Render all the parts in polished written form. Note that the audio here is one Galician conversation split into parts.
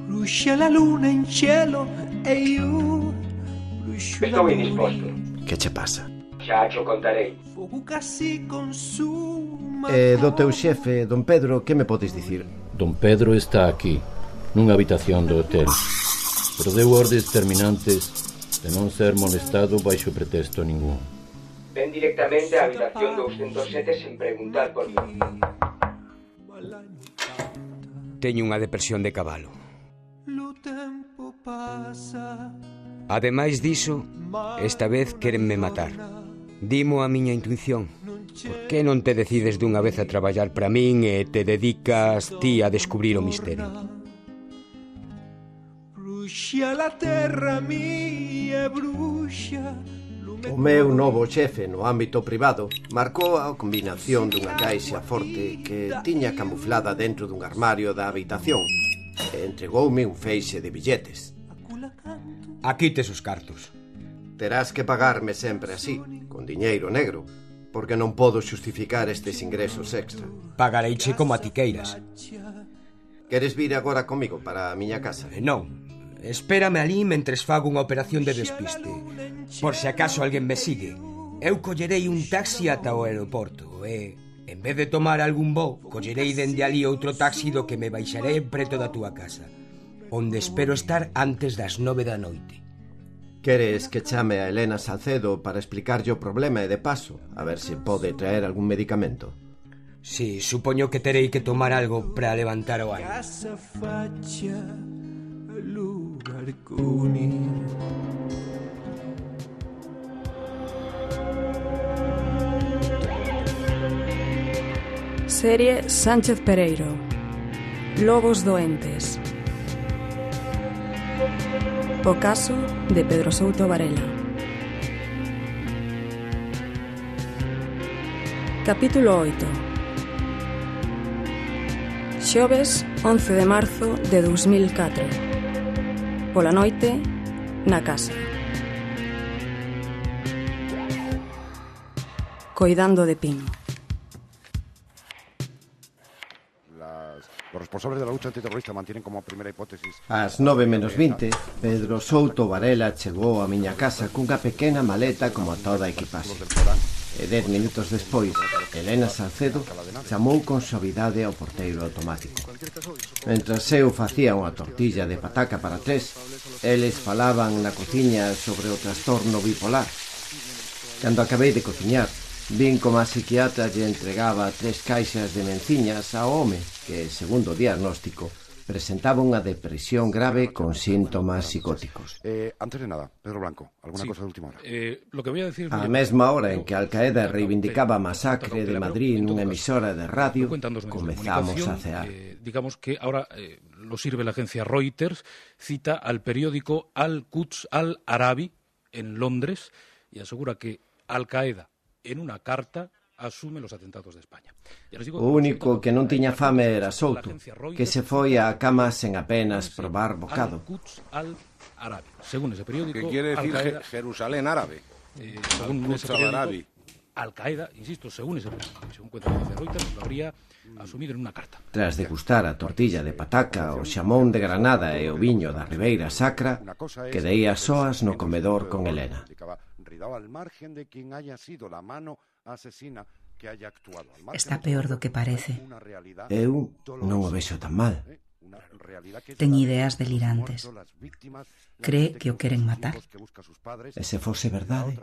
Brucia la luna in cielo e io brucio la Estou indisposto. Que che pasa? Xa cho contarei. Fogo casi consuma. Do teu xefe, don Pedro, que me podes dicir? Don Pedro está aquí, nunha habitación do hotel, pero deu ordes terminantes de non ser molestado baixo pretexto ningún. Ven directamente á habitación 207 sen preguntar por mí. Teño unha depresión de cabalo. Lo tempo pasa. Ademais diso, esta vez quérenme matar. Dimo a miña intuición. Por que non te decides dunha vez a traballar para min e te dedicas ti a descubrir o misterio? Brucia la terra mía, brucia. O meu novo xefe no ámbito privado marcou a combinación dunha caixa forte que tiña camuflada dentro dun armario da habitación e entregoume un feixe de billetes. Aquí tes os cartos. Terás que pagarme sempre así, con diñeiro negro, porque non podo xustificar estes ingresos extra. Pagareiche como a ti queiras. Queres vir agora comigo para a miña casa? Non, espérame ali mentres fago unha operación de despiste. Por se acaso alguén me sigue, eu collerei un taxi ata o aeroporto e, en vez de tomar algún voo, collerei dende ali outro taxi do que me baixarei preto da túa casa, onde espero estar antes das 9 da noite. Queres que chame a Elena Salcedo para explicarlle o problema e de paso, a ver se pode traer algún medicamento? Si, supoño que terei que tomar algo para levantar o ánimo. Casa faccia, lugarconi. Serie Sánchez Pereiro. Lobos doentes. O caso de Pedro Souto Varela. Capítulo 8. Xoves 11 de marzo de 2004. Pola noite, na casa. Coidando de Pino. Los responsables de la lucha antiterrorista mantienen como primera hipótesis... Ás 9:20, Pedro Souto Varela chegou á miña casa cunha pequena maleta como a toda a equipaxe. E 10 minutos despois, Elena Salcedo chamou con suavidade ao porteiro automático. Mentras eu facía unha tortilla de pataca para tres, eles falaban na cociña sobre o trastorno bipolar. Cando acabei de cociñar, vin como a psiquiatra lle entregaba 3 caixas de menciñas ao home que, segundo o diagnóstico, presentaba unha depresión grave con síntomas psicóticos. Antes de nada, Pedro Blanco, ¿alguna cosa de última hora? Lo que voy a decir... A mesma hora en que Al-Qaeda reivindicaba a masacre de Madrid nunha emisora de radio, comezamos a cear. Digamos que ahora lo sirve la agencia Reuters, cita al periódico Al-Quds Al-Arabi en Londres y asegura que Al-Qaeda en una carta asume los atentados de España. O único que non tiña fame era Souto, que se foi á cama sen apenas probar bocado. Según ese periódico... ¿Qué quiere decir Jerusalén árabe? Según ese periódico, Al-Qaeda, insisto, según ese periódico, según cuenta la agencia Reuters, lo habría asumido en una carta. Tras degustar a tortilla de pataca, o xamón de Granada e o viño da Ribeira Sacra, quedei a soas no comedor con Elena. Al margen de quien haya sido la mano asesina que haya actuado. Está peor do que parece. Eu non o vexo tan mal. Ten ideas delirantes. Cree que o queren matar. E se fose verdade?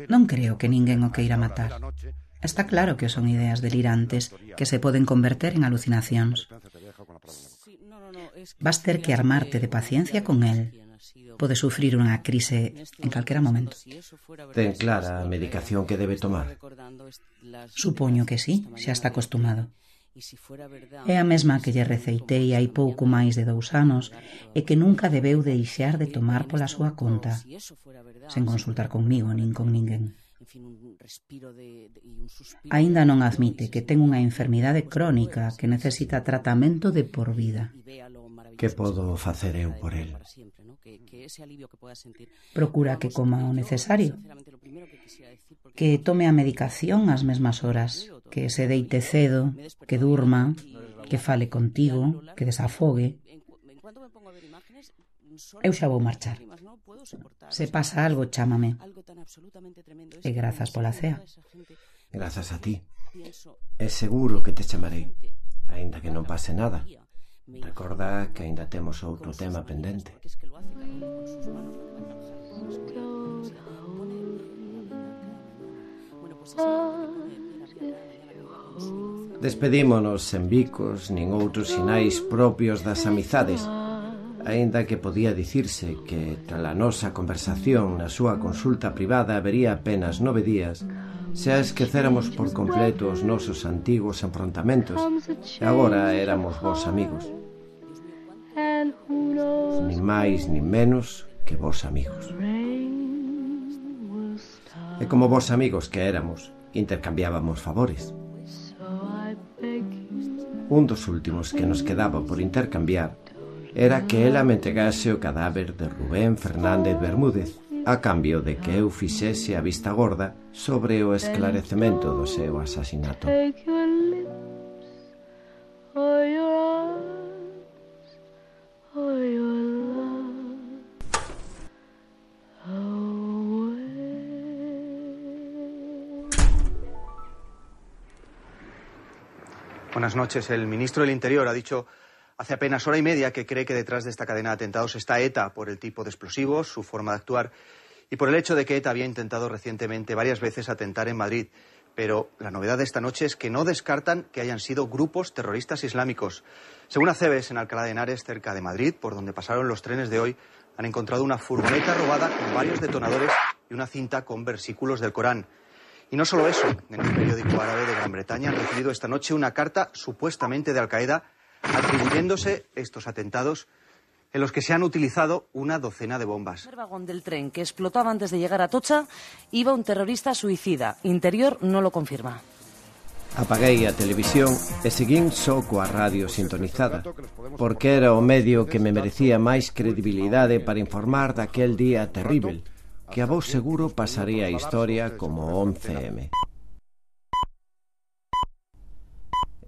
Non creo que ninguén o queira matar. Está claro que son ideas delirantes que se poden converter en alucinacións. Vas ter que armarte de paciencia con el. Pode sufrir unha crise en calquera momento. Ten clara a medicación que debe tomar? Supoño que sí, xa está acostumado. É a mesma que lle receitei hai pouco máis de 2 anos e que nunca debeu deixar de tomar pola súa conta, sen consultar conmigo nin con ninguén. Aínda non admite que ten unha enfermidade crónica que necesita tratamento de por vida. Que podo facer eu por el? Procura que coma o necesario, que tome a medicación ás mesmas horas, que se deite cedo, que durma, que fale contigo, que desafogue. Eu xa vou marchar. Se pasa algo, chámame. E grazas pola cea. Grazas a ti. É seguro que te chamarei, aínda que non pase nada. Recorda que aínda temos outro tema pendente. Despedímonos sen bicos nin outros sinais propios das amizades, aínda que podía dicirse que trala nosa conversación na súa consulta privada habería apenas 9 días se a esquecéramos por completo os nosos antigos enfrontamentos e agora éramos vos amigos. Nin máis nin menos que vos amigos. E como vos amigos que éramos, intercambiábamos favores. Un dos últimos que nos quedaba por intercambiar era que ela me entregase o cadáver de Rubén Fernández Bermúdez a cambio de que eu fixese a vista gorda sobre o esclarecemento do seu asasinato. Buenas noches. El ministro del Interior ha dicho hace apenas hora y media que cree que detrás de esta cadena de atentados está ETA por el tipo de explosivos, su forma de actuar y por el hecho de que ETA había intentado recientemente varias veces atentar en Madrid. Pero la novedad de esta noche es que no descartan que hayan sido grupos terroristas islámicos. Según Acebes, en Alcalá de Henares, cerca de Madrid, por donde pasaron los trenes de hoy, han encontrado una furgoneta robada con varios detonadores y una cinta con versículos del Corán. Y no solo eso, en un periódico árabe de Gran Bretaña han recibido esta noche una carta supuestamente de Al-Qaeda atribuyéndose estos atentados en los que se han utilizado una docena de bombas. En el vagón del tren que explotaba antes de llegar a Atocha iba un terrorista suicida. Interior no lo confirma. Apaguei a televisión e seguín só coa radio sintonizada, porque era o medio que me merecía máis credibilidade para informar daquel día terrível, que a vos seguro pasaría a historia como 11M.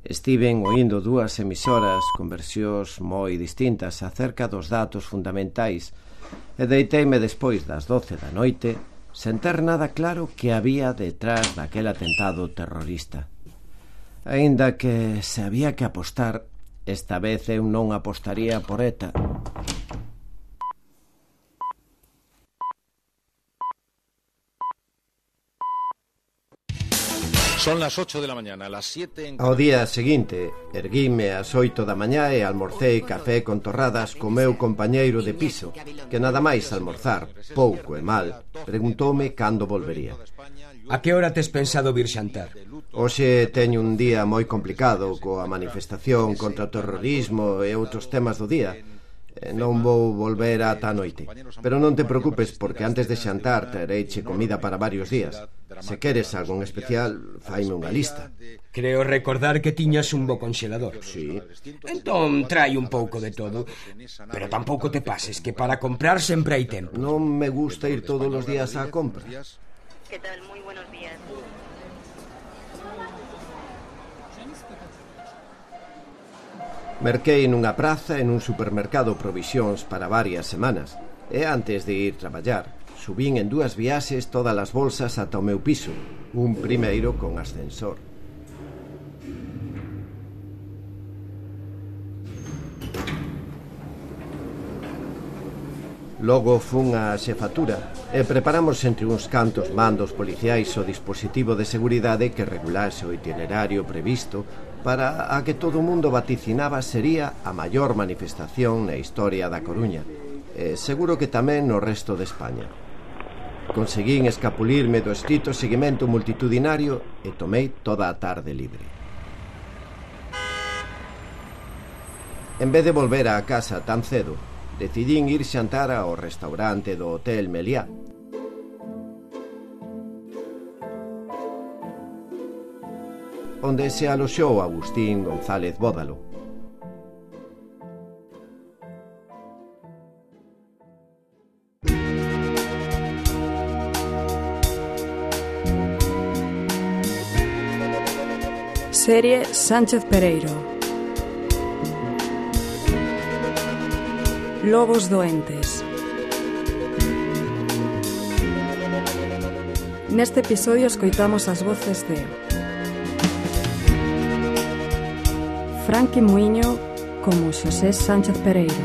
Estiven oindo dúas emisoras con versións moi distintas acerca dos datos fundamentais e deiteime despois das 12 da noite sen ter nada claro que había detrás daquel atentado terrorista. Aínda que se había que apostar, esta vez eu non apostaría por ETA. Son las 8 de la mañana, las 7 en... Ao día seguinte, erguíme ás 8 da mañá e almorcei café con torradas co meu compañeiro de piso, que nada máis almorzar, pouco e mal, preguntoume cando volvería. A que hora tes pensado vir xantar? Hoxe teño un día moi complicado coa manifestación contra o terrorismo e outros temas do día. Non vou volver ata a noite. Pero non te preocupes, porque antes de xantar tereiche comida para varios días. Se queres algo en especial, faime unha lista. Creo recordar que tiñas un bo conxelador. Sí. Entón trai un pouco de todo. Pero tampouco te pases, que para comprar sempre hai tempo. Non me gusta ir todos os días á compra. ¿Qué tal? Muy buenos días. Merquei nunha praza e nun supermercado provisións para varias semanas. E antes de ir traballar, subín en 2 viaxes todas as bolsas ata o meu piso, un primeiro con ascensor. Logo fun á xefatura e preparamos entre uns cantos mandos policiais o dispositivo de seguridade que regulase o itinerario previsto para a que todo o mundo vaticinaba sería a maior manifestación na historia da Coruña, e seguro que tamén no resto de España. Conseguín escapulirme do estrito seguimento multitudinario e tomei toda a tarde libre. En vez de volver á casa tan cedo, decidín ir xantar ao restaurante do Hotel Meliá. Onde se aloxou Agustín González Bódalo. Serie Sánchez Pereiro. Lobos doentes. Neste episodio escoitamos as voces de Franqui Muiño como Xosé Sánchez Pereiro,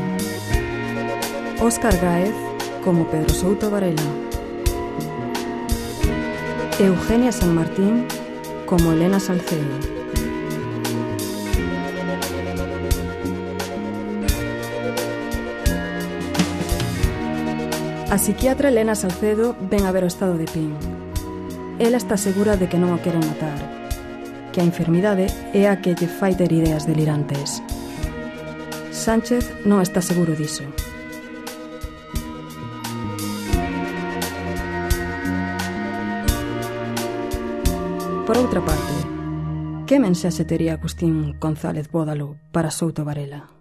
Óscar Gáez como Pedro Souto Varela, Eugenia San Martín como Elena Salcedo, a psiquiatra Elena Salcedo ven a ver o estado de Pin. Ela está segura de que non o queren matar, que a enfermidade é a que lle fai ter ideas delirantes. Sánchez non está seguro diso. Por outra parte, que mensaxe tería Agustín González Bódalo para Souto Varela?